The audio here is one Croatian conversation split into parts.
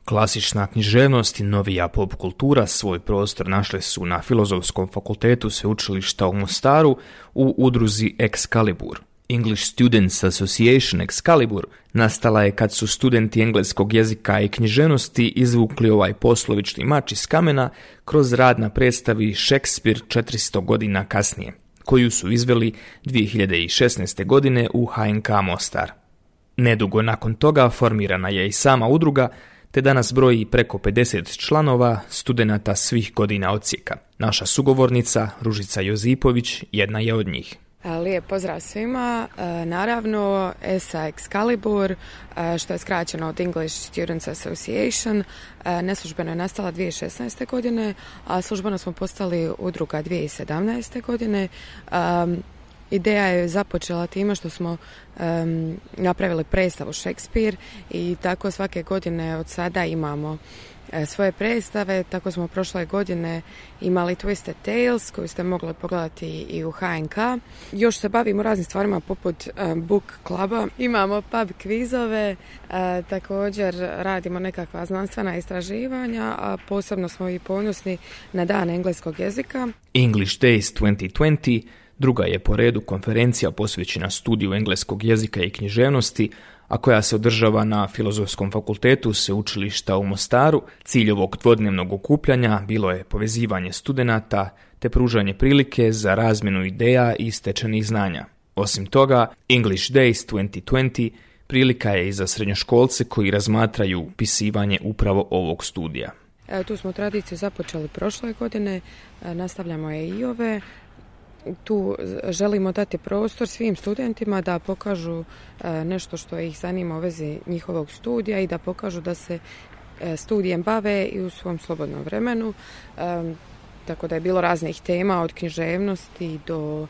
Klasična književnost i novija pop kultura svoj prostor našle su na Filozofskom fakultetu Sveučilišta u Mostaru u udruzi Excalibur. English Students Association Excalibur nastala je kad su studenti engleskog jezika i književnosti izvukli ovaj poslovični mač iz kamena kroz rad na predstavi Shakespeare 400 godina kasnije, koju su izveli 2016. godine u HNK Mostar. Nedugo nakon toga formirana je i sama udruga, te danas broji preko 50 članova studenata svih godina odsjeka. Naša sugovornica, Ružica Jozipović, jedna je od njih. Lijep pozdrav svima. Naravno, ESA Excalibur, što je skraćeno od English Students Association, neslužbeno je nastala 2016. godine, a službeno smo postali udruga 2017. godine. Ideja je započela time što smo napravili predstavu Shakespeare i tako svake godine od sada imamo svoje predstave. Tako smo prošle godine imali Twisted Tales koju ste mogli pogledati i u HNK. Još se bavimo raznim stvarima poput book kluba. Imamo pub kvizove, također radimo nekakva znanstvena istraživanja, a posebno smo i ponosni na dan engleskog jezika. English Days 2020 druga je po redu konferencija posvećena studiju engleskog jezika i književnosti, a koja se održava na Filozofskom fakultetu Sveučilišta u Mostaru. Cilj ovog dvodnevnog okupljanja bilo je povezivanje studenata te pružanje prilike za razmjenu ideja i stečenih znanja. Osim toga, English Days 2020 prilika je i za srednjoškolce koji razmatraju upisivanje upravo ovog studija. Tu smo tradiciju započeli prošle godine, nastavljamo je i ove. Tu želimo dati prostor svim studentima da pokažu nešto što ih zanima u vezi njihovog studija i da pokažu da se studijem bave i u svom slobodnom vremenu. Tako da je bilo raznih tema od književnosti do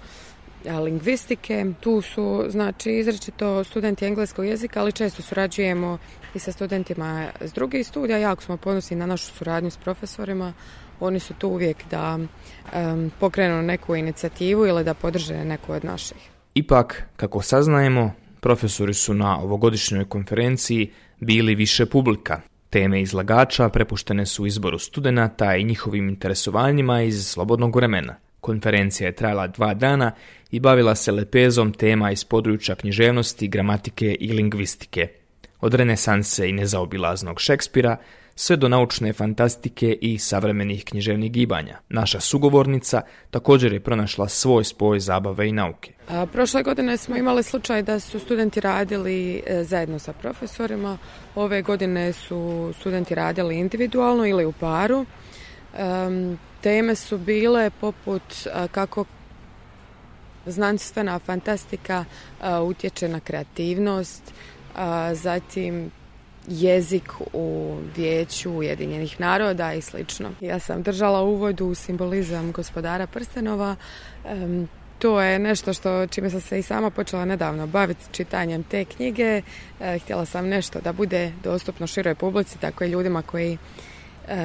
lingvistike. Tu su izričito studenti engleskog jezika, ali često surađujemo i sa studentima s drugih studija. Jako smo ponosni na našu suradnju s profesorima. Oni su tu uvijek da pokrenu neku inicijativu ili da podrže neku od naših. Ipak, kako saznajemo, profesori su na ovogodišnjoj konferenciji bili više publika. Teme izlagača prepuštene su izboru studenata i njihovim interesovanjima iz slobodnog vremena. Konferencija je trajala 2 dana i bavila se lepezom tema iz područja književnosti, gramatike i lingvistike. Od renesanse i nezaobilaznog Šekspira sve do naučne fantastike i savremenih književnih gibanja. Naša sugovornica također je pronašla svoj spoj zabave i nauke. Prošle godine smo imali slučaj da su studenti radili zajedno sa profesorima. Ove godine su studenti radili individualno ili u paru. Teme su bile poput kako znanstvena fantastika utječe na kreativnost, zatim jezik u Vijeću Ujedinjenih naroda i slično. Ja sam držala uvod u simbolizam Gospodara prstenova. To je nešto čime sam se i sama počela nedavno baviti čitanjem te knjige. Htjela sam nešto da bude dostupno široj publici, tako i ljudima koji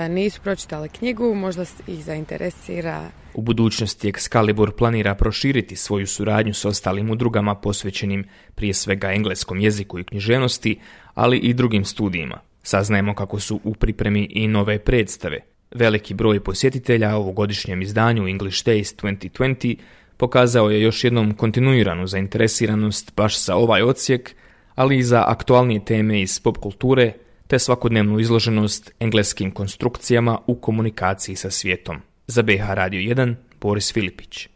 nisu pročitali knjigu, možda ih zainteresira. U budućnosti Excalibur planira proširiti svoju suradnju s ostalim udrugama posvećenim prije svega engleskom jeziku i književnosti, ali i drugim studijima. Saznajemo kako su u pripremi i nove predstave. Veliki broj posjetitelja ovogodišnjem izdanju English Days 2020 pokazao je još jednom kontinuiranu zainteresiranost baš za ovaj odsjek, ali i za aktualnije teme iz pop kulture, te svakodnevnu izloženost engleskim konstrukcijama u komunikaciji sa svijetom. Za BH Radio 1, Boris Filipić.